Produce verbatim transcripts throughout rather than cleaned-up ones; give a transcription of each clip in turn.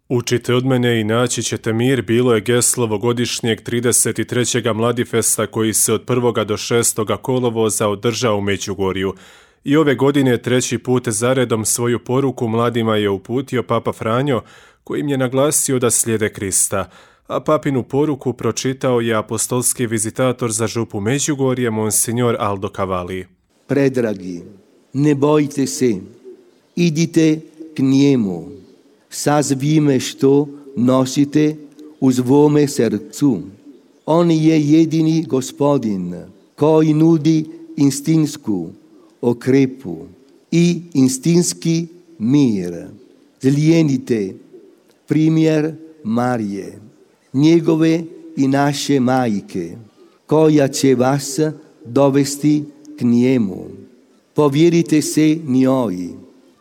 Učite od mene i naći ćete mir bilo je geslo ovogodišnjeg trideset trećeg Mladifesta koji se od prvog do šestog kolovoza održao u Međugorju. I ove godine treći put zaredom svoju poruku mladima je uputio Papa Franjo, kojim je naglasio da slijede Krista, a papinu poruku pročitao je apostolski vizitator za župu Međugorje, monsignor Aldo Cavalli. Predragi, ne bojte se, idite k njemu, sa svime što nosite u svome srcu. On je jedini Gospodin koji nudi istinsku okrepu i istinski mir. Slijedite primjer Marije, njegove i naše majke, koja će vas dovesti k njemu. Povjerite se njoj,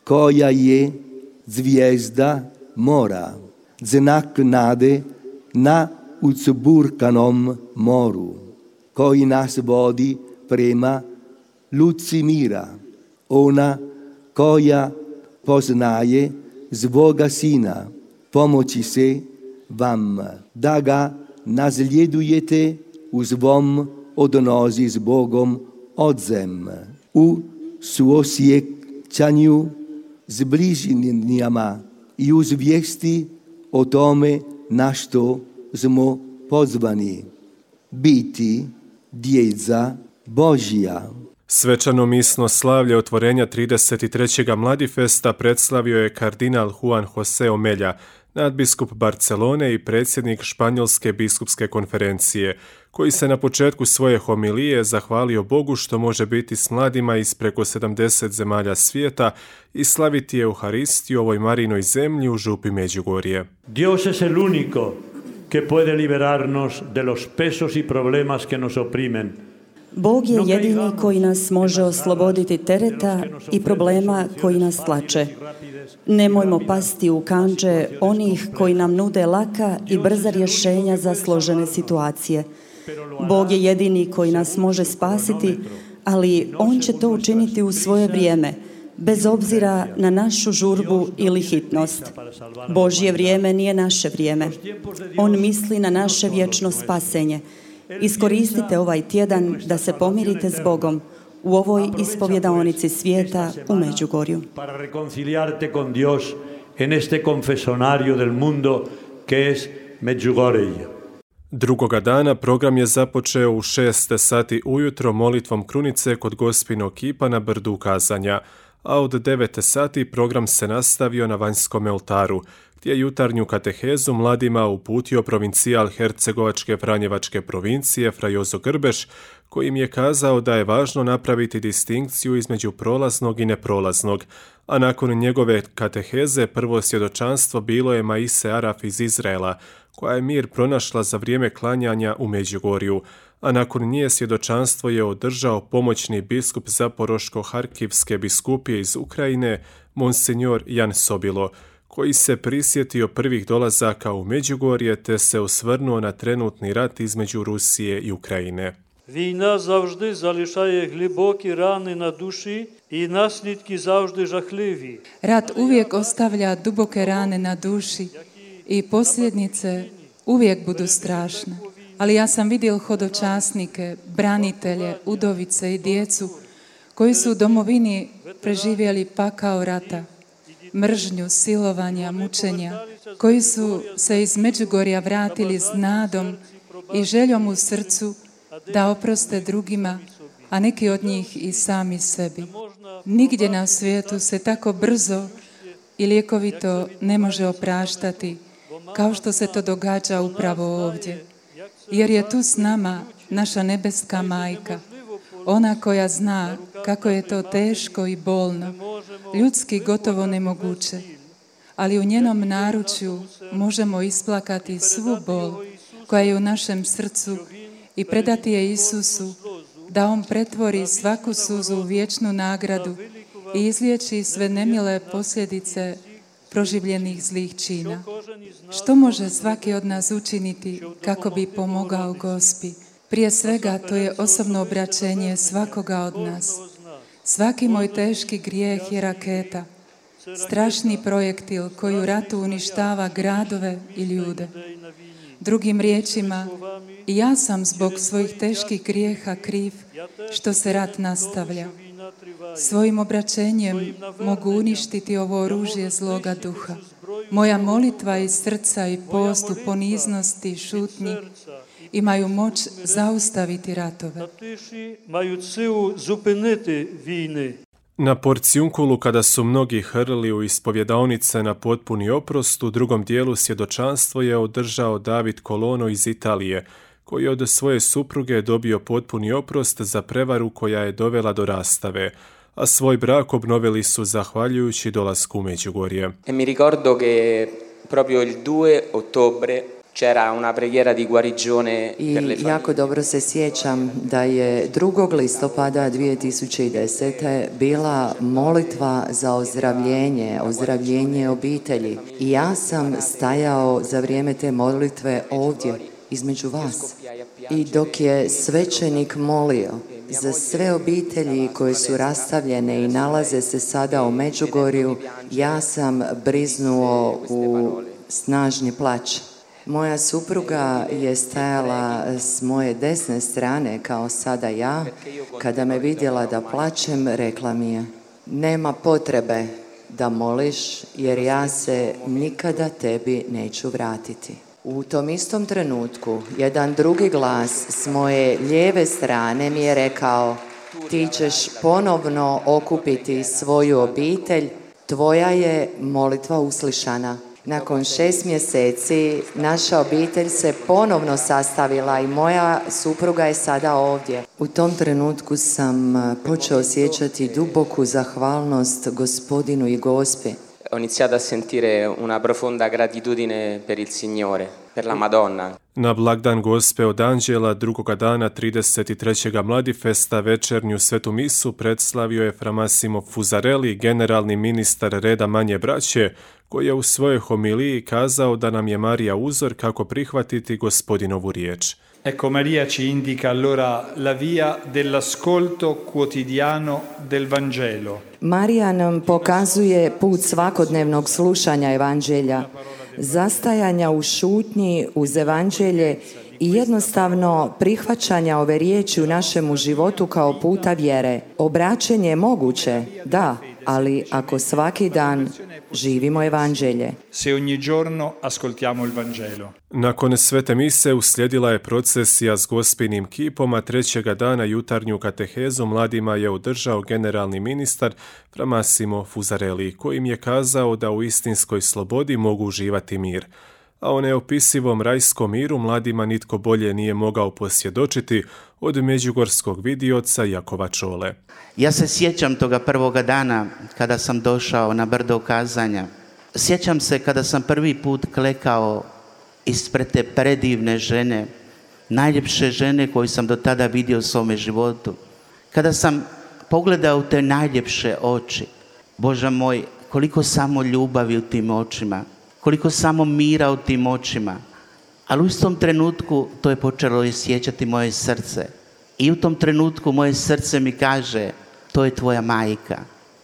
koja je zvijezda mora, znak nade na uzburkanom moru, koji nas vodi prema luci mira. Ona koja poznaje svoga sina, pomoći se vam da ga nasljedujete u svom odnosi s Bogom odzem, u suosjećanju s bližnjima i u zvijesti o tome na što smo pozvani, biti djeca Božja. Svečano misno slavlje otvorenja trideset trećeg Mladifesta predslavio je kardinal Juan José Omelja, nadbiskup Barcelone i predsjednik Španjolske biskupske konferencije, koji se na početku svoje homilije zahvalio Bogu što može biti s mladima iz preko sedamdeset zemalja svijeta i slaviti Euharistiju u ovoj Marinoj zemlji u župi Međugorje. Dios es el único que puede liberarnos de los pesos y problemas que nos oprimen. Bog je jedini koji nas može osloboditi tereta i problema koji nas tlače. Nemojmo pasti u kandže onih koji nam nude laka i brza rješenja za složene situacije. Bog je jedini koji nas može spasiti, ali On će to učiniti u svoje vrijeme, bez obzira na našu žurbu ili hitnost. Božje vrijeme nije naše vrijeme. On misli na naše vječno spasenje. Iskoristite ovaj tjedan da se pomirite s Bogom u ovoj ispovjedaonici svijeta u Međugorju. Para reconciliarte con Dios en este confesonario del mundo que es Medjugorje. Drugoga dana program je započeo u šest sati ujutro molitvom krunice kod Gospinog kipa na brdu Kazanja, a od devet sati program se nastavio na vanjskom oltaru, gdje je jutarnju katehezu mladima uputio provincijal Hercegovačke Franjevačke provincije Fra Jozo Grbeš, kojim je kazao da je važno napraviti distinkciju između prolaznog i neprolaznog, a nakon njegove kateheze prvo svjedočanstvo bilo je Maise Araf iz Izraela, koja je mir pronašla za vrijeme klanjanja u Međugorju, a nakon nje svjedočanstvo je održao pomoćni biskup Zaporoško-Harkivske biskupije iz Ukrajine, monsignor Jan Sobilo, koji se prisjetio prvih dolazaka u Međugorje te se osvrnuo na trenutni rat između Rusije i Ukrajine. Війна завжди залишає глибокі рани на душі і наслідки завжди жахливі. Rat uvijek ostavlja duboke rane na duši i posljedice uvijek budu strašne. Ali ja sam vidio hodočasnike, branitelje, udovice i djecu koji su u domovini preživjeli pakao rata, mržnju, silovanja, mučenja, koji su se iz Međugorja vratili s nadom i željom u srcu da oproste drugima, a neki od njih i sami sebi. Nigdje na svijetu se tako brzo i ljekovito ne može opraštati kao što se to događa upravo ovdje. Jer je tu s nama naša nebeska majka, ona koja zna kako je to teško i bolno, ljudski gotovo nemoguće, ali u njenom naručju možemo isplakati svu bol koja je u našem srcu i predati je Isusu, da On pretvori svaku suzu u vječnu nagradu i izliječi sve nemile posljedice proživljenih zlih čina. Što može svaki od nas učiniti kako bi pomogao Gospi? Prije svega to je osobno obraćenje svakoga od nas. Svaki moj teški grijeh je raketa. strašni projektil koji u ratu uništava gradove i ljude. Drugim riječima, i ja sam zbog svojih teških grijeha kriv što se rat nastavlja. Svojim obraćenjem mogu uništiti ovo oružje zloga duha. Moja molitva iz srca i post u poniznosti i šutnji imaju moć zaustaviti ratove. Na porcijunkulu, kada su mnogi hrlili u ispovjedaonice na potpuni oprost, u drugom dijelu svjedočanstvo je održao David Kolono iz Italije, koji je od svoje supruge dobio potpuni oprost za prevaru koja je dovela do rastave, a svoj brak obnovili su zahvaljujući dolasku u Međugorje. E mi ricordo che proprio il due ottobre c'era una preghiera di guarigione per le I jako dobro se sjećam da je drugog listopada dvije tisuće desete bila molitva za ozdravljenje, ozdravljenje obitelji. I ja sam stajao za vrijeme te molitve ovdje, između vas. I dok je svećenik molio za sve obitelji koje su rastavljene i nalaze se sada u Međugorju, ja sam briznuo u snažni plać. Moja supruga je stajala s moje desne strane, kao sada ja. Kada me vidjela da plačem, rekla mi je: nema potrebe da moliš, jer ja se nikada tebi neću vratiti. U tom istom trenutku jedan drugi glas s moje lijeve strane mi je rekao: ti ćeš ponovno okupiti svoju obitelj, tvoja je molitva uslišana. Nakon šest mjeseci naša obitelj se ponovno sastavila i moja supruga je sada ovdje. U tom trenutku sam počeo osjećati duboku zahvalnost Gospodinu i Gospi. Ho iniziato a sentire una profonda gratitudine per il Signore, per la Madonna. Na blagdan Gospe od Anđela drugoga dana trideset trećeg Mladifesta večernju svetu misu predslavio je Fra Massimo Fusarelli, generalni ministar reda manje braće, koji je u svojoj homiliji kazao da nam je Marija uzor kako prihvatiti Gospodinovu riječ. Ecco, Maria ci indica allora la via dell'ascolto quotidiano del Vangelo. Marija nam pokazuje put svakodnevnog slušanja Evanđelja, zastajanja u šutnji uz Evanđelje i jednostavno prihvaćanja ove riječi u našemu životu kao puta vjere. Obraćenje je moguće, da, ali ako svaki dan živimo Evanđelje. Se ogni giorno ascoltiamo il Vangelo. Nakon svete mise uslijedila je procesija s Gospinim kipom, a trećega dana jutarnju katehezu mladima je održao generalni ministar Fra Massimo Fusarelli, kojim je kazao da u istinskoj slobodi mogu uživati mir. A o neopisivom rajskom miru mladima nitko bolje nije mogao posvjedočiti od međugorskog vidioca Jakova Čole. Ja se sjećam toga prvoga dana kada sam došao na brdo kazanja. Sjećam se kada sam prvi put klekao ispred te predivne žene, najljepše žene koju sam do tada vidio u svome životu. Kada sam pogledao te najljepše oči, Bože moj, koliko samo ljubavi u tim očima, koliko samo mira u tim očima. Ali u istom trenutku to je počelo osjećati moje srce. I u tom trenutku moje srce mi kaže: to je tvoja majka.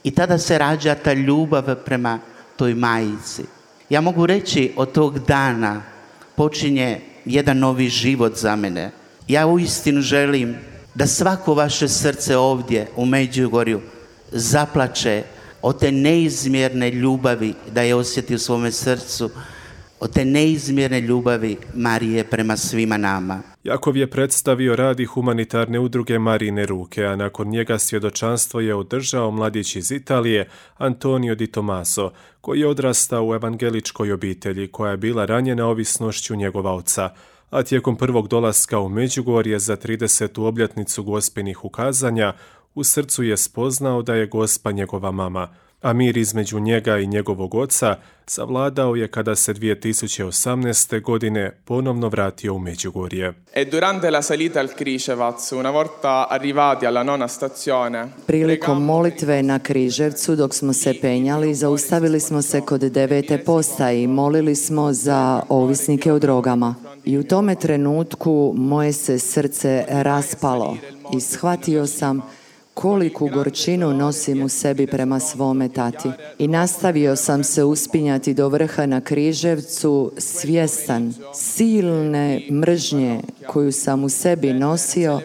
I tada se rađa ta ljubav prema toj majici. Ja mogu reći, od tog dana počinje jedan novi život za mene. Ja uistinu želim da svako vaše srce ovdje u Međugorju zaplače od te neizmjerne ljubavi, da je osjeti u svome srcu, od te neizmjerne ljubavi Marije prema svima nama. Jakov je predstavio rad i humanitarne udruge Marijine ruke, a nakon njega svjedočanstvo je održao mladić iz Italije Antonio Di Tomaso, koji je odrastao u evangeličkoj obitelji koja je bila ranjena ovisnošću njegova oca, a tijekom prvog dolaska u Međugorje za tridesetu obljetnicu Gospinih ukazanja u srcu je spoznao da je Gospa njegova mama, a mir između njega i njegovog oca savladao je kada se dvije tisuće osamnaeste. godine ponovno vratio u Međugorje. E durante la salita al Križevac, una volta arrivati alla nona stazione, prilikom molitve na Križevcu, dok smo se penjali, zaustavili smo se kod devete postaje i molili smo za ovisnike o drogama. I u tome trenutku moje se srce raspalo i shvatio sam koliku gorčinu nosim u sebi prema svome tati. I nastavio sam se uspinjati do vrha na Križevcu, svjestan silne mržnje koju sam u sebi nosio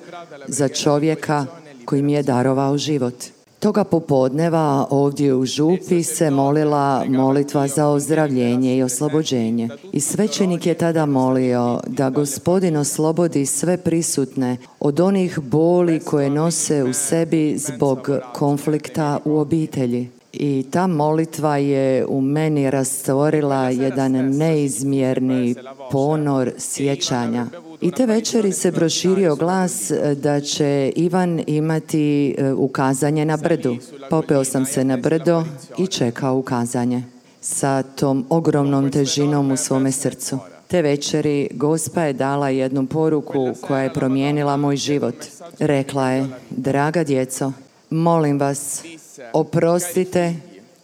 za čovjeka koji mi je darovao život. Toga popodneva ovdje u župi se molila molitva za ozdravljenje i oslobođenje. I svećenik je tada molio da Gospodin oslobodi sve prisutne od onih boli koje nose u sebi zbog konflikta u obitelji. I ta molitva je u meni rastvorila jedan neizmjerni ponor sjećanja. I te večeri se proširio glas da će Ivan imati ukazanje na brdu. Popeo sam se na brdo i čekao ukazanje sa tom ogromnom težinom u svome srcu. Te večeri Gospa je dala jednu poruku koja je promijenila moj život. Rekla je: draga djeco, molim vas, oprostite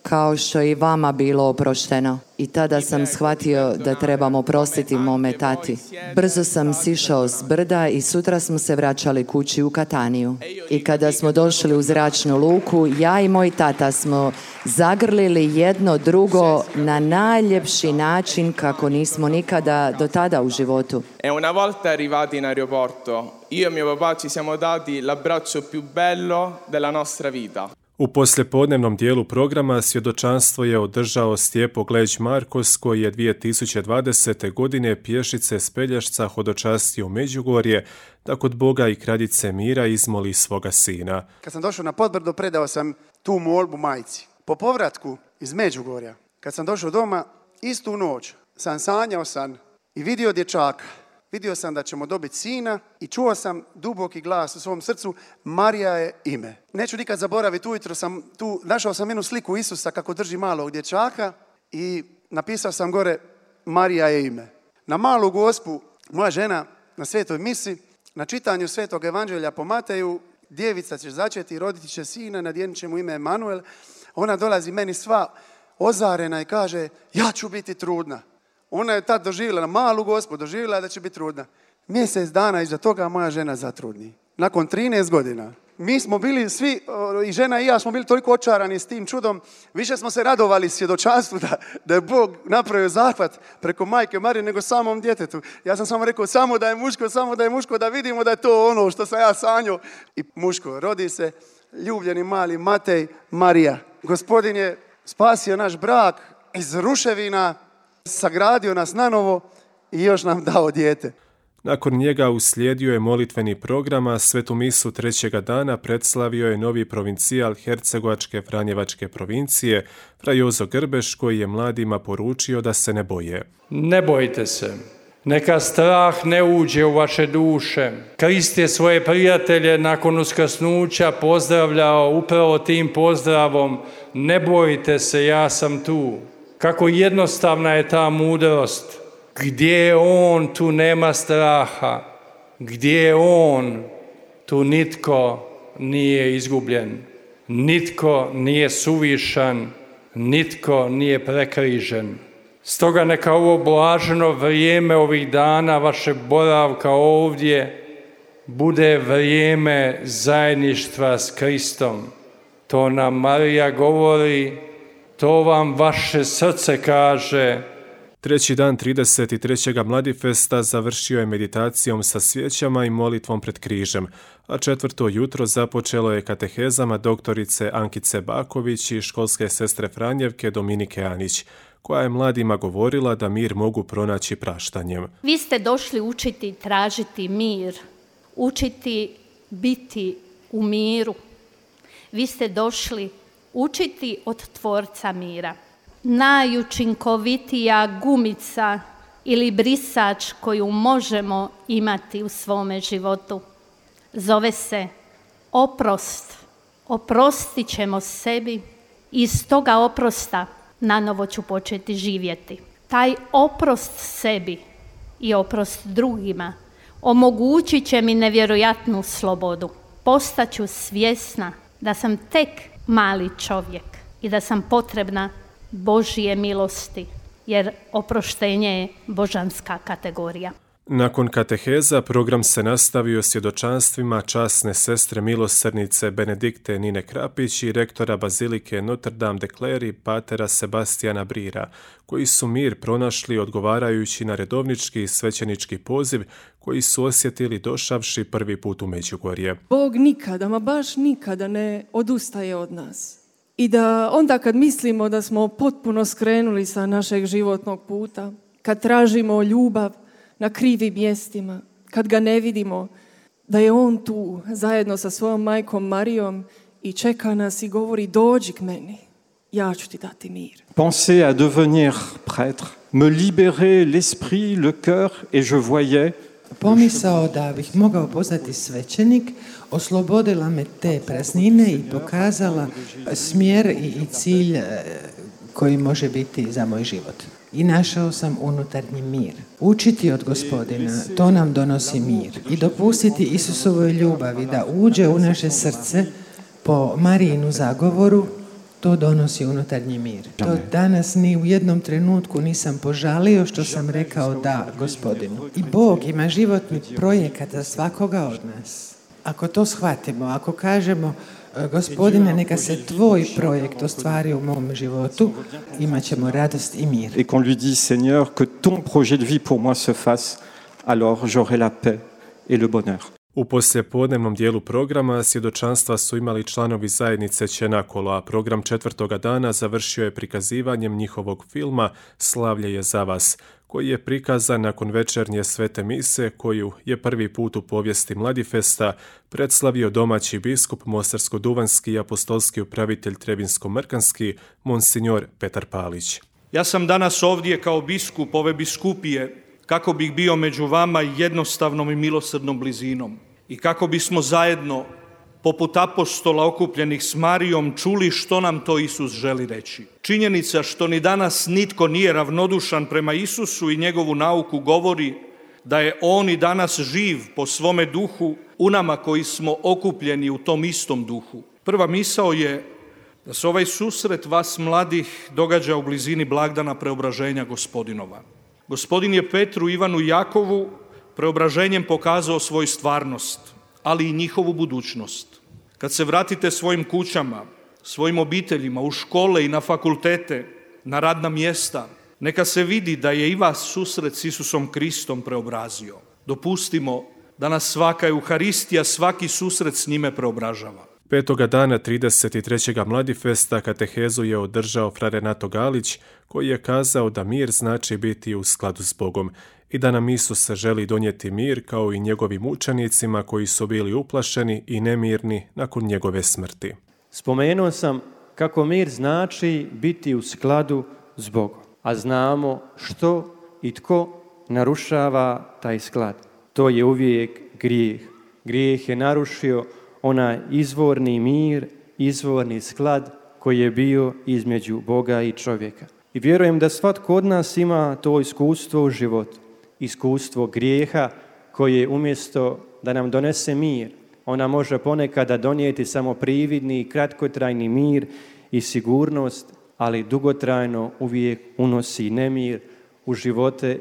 kao što je i vama bilo oprošteno. I tada sam shvatio da trebam oprostiti mome tati. Brzo sam sišao s brda i sutra smo se vraćali kući u Kataniju. I kada smo došli u zračnu luku, ja i moj tata smo zagrlili jedno drugo na najljepši način kako nismo nikada do tada u životu. E una volta arrivati in aeroporto, io e mio papà ci siamo dati l'abbraccio più bello della nostra vita. U poslijepodnevnom dijelu programa svjedočanstvo je održao Stjepo Gleć Markos, koji je dvije tisuće dvadesete. godine pješice s Pelješca hodočastio u Međugorje da kod Boga i kraljice mira izmoli svoga sina. Kad sam došao na Podbrdo, predao sam tu molbu majci. Po povratku iz Međugorja, kad sam došao doma, istu noć sam sanjao sam i vidio dječaka. Vidio sam da ćemo dobiti sina i čuo sam duboki glas u svom srcu: Marija je ime. Neću nikad zaboraviti, ujutro sam tu, našao sam jednu sliku Isusa kako drži malog dječaka i napisao sam gore: Marija je ime. Na malu Gospu, moja žena na svetoj misi, na čitanju svetog evanđelja po Mateju, djevica će začeti, roditi će sina, nadjenit će mu ime Emanuel. Ona dolazi meni sva ozarena i kaže: ja ću biti trudna. Ona je tad doživjela, malu Gospu, doživjela da će biti trudna. Mjesec dana iza toga moja žena zatrudni. Nakon trinaest godina. Mi smo bili svi, i žena i ja smo bili toliko očarani s tim čudom. Više smo se radovali svjedočanstvu da, da je Bog napravio zahvat preko majke Marije nego samom djetetu. Ja sam samo rekao: samo da je muško, samo da je muško, da vidimo da je to ono što sam ja sanjao. I muško, rodi se ljubljeni mali Matej Marija. Gospodin je spasio naš brak iz ruševina, sagradio nas nanovo i još nam dao dijete. Nakon njega uslijedio je molitveni program, a svetu misu trećega dana predslavio je novi provincijal Hercegovačke Franjevačke provincije, fra Jozo Grbeš, koji je mladima poručio da se ne boje. Ne bojte se. Neka strah ne uđe u vaše duše. Krist je svoje prijatelje nakon uskrsnuća pozdravljao upravo tim pozdravom: ne bojte se, ja sam tu. Kako jednostavna je ta mudrost. Gdje je on, tu nema straha. Gdje je on, tu nitko nije izgubljen. Nitko nije suvišan, nitko nije prekrižen. Stoga neka ovo blaženo vrijeme ovih dana vaše boravka ovdje bude vrijeme zajedništva s Kristom. To nam Marija govori, to vam vaše srce kaže. Treći dan trideset trećeg Mladifesta završio je meditacijom sa svijećama i molitvom pred križem, a četvrto jutro započelo je katehezama doktorice Ankice Baković i školske sestre Franjevke Dominike Anić, koja je mladima govorila da mir mogu pronaći praštanjem. Vi ste došli učiti tražiti mir, učiti biti u miru. Vi ste došli učiti od Tvorca mira. Najučinkovitija gumica ili brisač koju možemo imati u svome životu zove se oprost. Oprostit ćemo sebi i iz toga oprosta nanovo ću početi živjeti. Taj oprost sebi i oprost drugima omogućit će mi nevjerojatnu slobodu. Postaću svjesna da sam tek mali čovjek i da sam potrebna Božje milosti, jer oproštenje je božanska kategorija. Nakon kateheza program se nastavio svjedočanstvima časne sestre milosrdnice Benedikte Nine Krapić i rektora bazilike Notre Dame de Cleri patera Sebastijana Brira, koji su mir pronašli odgovarajući na redovnički svećenički poziv koji su osjetili došavši prvi put u Međugorje. Bog nikada, ma baš nikada ne odustaje od nas. I da onda kad mislimo da smo potpuno skrenuli sa našeg životnog puta, kad tražimo ljubav na krivim mjestima, kad ga ne vidimo, da je on tu zajedno sa svojom majkom Marijom i čeka nas i govori dođi k meni, ja ću ti dati mir. Penser à devenir prêtre, me libérer l'esprit, le cœur et je voyais. Pomisao da bih mogao postati svećenik oslobodila me te praznine i pokazala smjer i, i cilj koji može biti za moj život. I našao sam unutarnji mir. Učiti od Gospodina, to nam donosi mir. I dopustiti Isusovoj ljubavi da uđe u naše srce po Marijinu zagovoru, to donosi unutarnji mir. To danas ni u jednom trenutku nisam požalio što sam rekao da Gospodinu. I Bog ima životni projekat za svakoga od nas. Ako to shvatimo, ako kažemo Gospodine, neka se tvoj projekt ostvari u mom životu, imat ćemo radost i mir. Et qu'on lui dit, Seigneur, que ton projet de vie pour moi se fasse, alors j'aurai la paix et le bonheur. U poslijepodnevnom dijelu programa svjedočanstva su imali članovi zajednice Čenakolo, a program četvrtoga dana završio je prikazivanjem njihovog filma Slavlje je za vas, koji je prikazan nakon večernje svete mise koju je prvi put u povijesti Mladifesta predslavio domaći biskup Mostarsko-duvanjski i apostolski upravitelj Trebinsko-Mrkanski, monsignor Petar Palić. Ja sam danas ovdje kao biskup ove biskupije kako bih bio među vama jednostavnom i milosrdnom blizinom i kako bismo zajedno, poput apostola okupljenih s Marijom, čuli što nam to Isus želi reći. Činjenica što ni danas nitko nije ravnodušan prema Isusu i njegovu nauku govori da je On i danas živ po svome duhu u nama koji smo okupljeni u tom istom duhu. Prva misao je da se ovaj susret vas mladih događa u blizini blagdana preobraženja Gospodinova. Gospodin je Petru, Ivanu i Jakovu preobraženjem pokazao svoju stvarnost, ali i njihovu budućnost. Kad se vratite svojim kućama, svojim obiteljima, u škole i na fakultete, na radna mjesta, neka se vidi da je i vas susret s Isusom Kristom preobrazio. Dopustimo da nas svaka Euharistija, svaki susret s njime preobražava. Petoga dana trideset trećeg Mladifesta katehezu je održao fra Renato Galić, koji je kazao da mir znači biti u skladu s Bogom i da nam Isus želi donijeti mir kao i njegovim učenicima koji su bili uplašeni i nemirni nakon njegove smrti. Spomenuo sam kako mir znači biti u skladu s Bogom, a znamo što i tko narušava taj sklad. To je uvijek grijeh. Grijeh je narušio onaj izvorni mir, izvorni sklad koji je bio između Boga i čovjeka. I vjerujem da svatko od nas ima to iskustvo u životu, iskustvo grijeha koje umjesto da nam donese mir, ona može ponekada donijeti samo prividni i kratkotrajni mir i sigurnost, ali dugotrajno uvijek unosi nemir u živote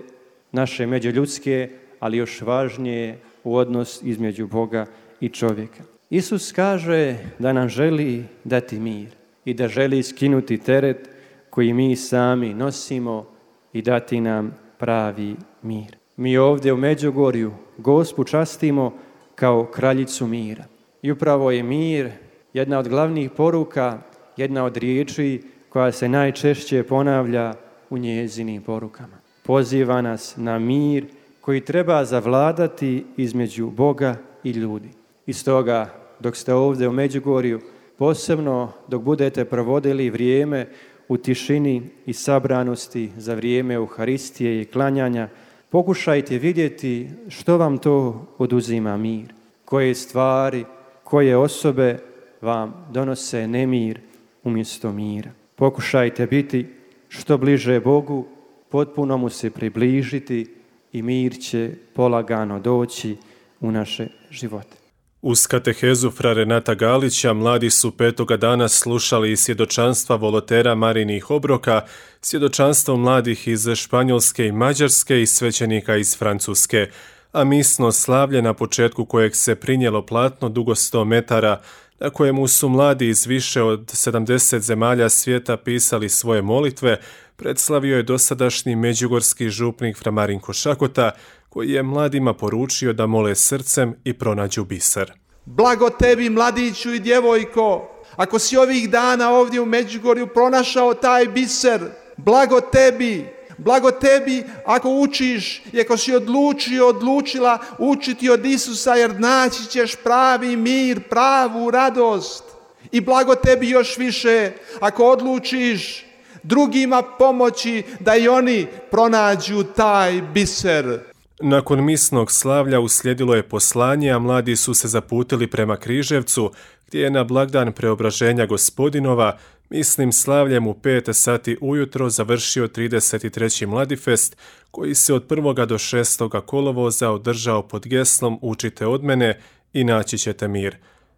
naše međuljudske, ali još važnije u odnos između Boga i čovjeka. Isus kaže da nam želi dati mir i da želi skinuti teret koji mi sami nosimo i dati nam pravi mir. Mi ovdje u Međugorju Gospu častimo kao kraljicu mira. I upravo je mir jedna od glavnih poruka, jedna od riječi koja se najčešće ponavlja u njezinim porukama. Poziva nas na mir koji treba zavladati između Boga i ljudi. I stoga, dok ste ovdje u Međugorju, posebno dok budete provodili vrijeme u tišini i sabranosti za vrijeme Euharistije i klanjanja, pokušajte vidjeti što vam to oduzima mir, koje stvari, koje osobe vam donose nemir umjesto mira. Pokušajte biti što bliže Bogu, potpuno mu se približiti i mir će polagano doći u naše živote. Uz katehezu fra Renata Galića mladi su petoga dana slušali svjedočanstva volotera Marinih obroka, svjedočanstvo mladih iz Španjolske i Mađarske i svećenika iz Francuske, a misno slavlje na početku kojeg se prinijelo platno dugo sto metara, na kojemu su mladi iz više od sedamdeset zemalja svijeta pisali svoje molitve, predslavio je dosadašnji međugorski župnik fra Marinko Šakota, koji je mladima poručio da mole srcem i pronađu biser. Blago tebi, mladiću i djevojko, ako si ovih dana ovdje u Međugorju pronašao taj biser, blago tebi, blago tebi ako učiš i ako si odlučio, odlučila učiti od Isusa, jer naći ćeš pravi mir, pravu radost. I blago tebi još više ako odlučiš drugima pomoći da i oni pronađu taj biser. Nakon misnog slavlja uslijedilo je poslanje, a mladi su se zaputili prema Križevcu, gdje je na blagdan Preobraženja Gospodinova misnim slavljem u pet sati ujutro završio trideset treći Mladifest, koji se od prvoga do šestoga kolovoza održao pod geslom Učite od mene i naći ćete mir.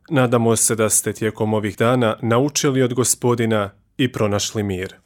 Nadamo se da ste tijekom ovih dana naučili od Gospodina i pronašli mir.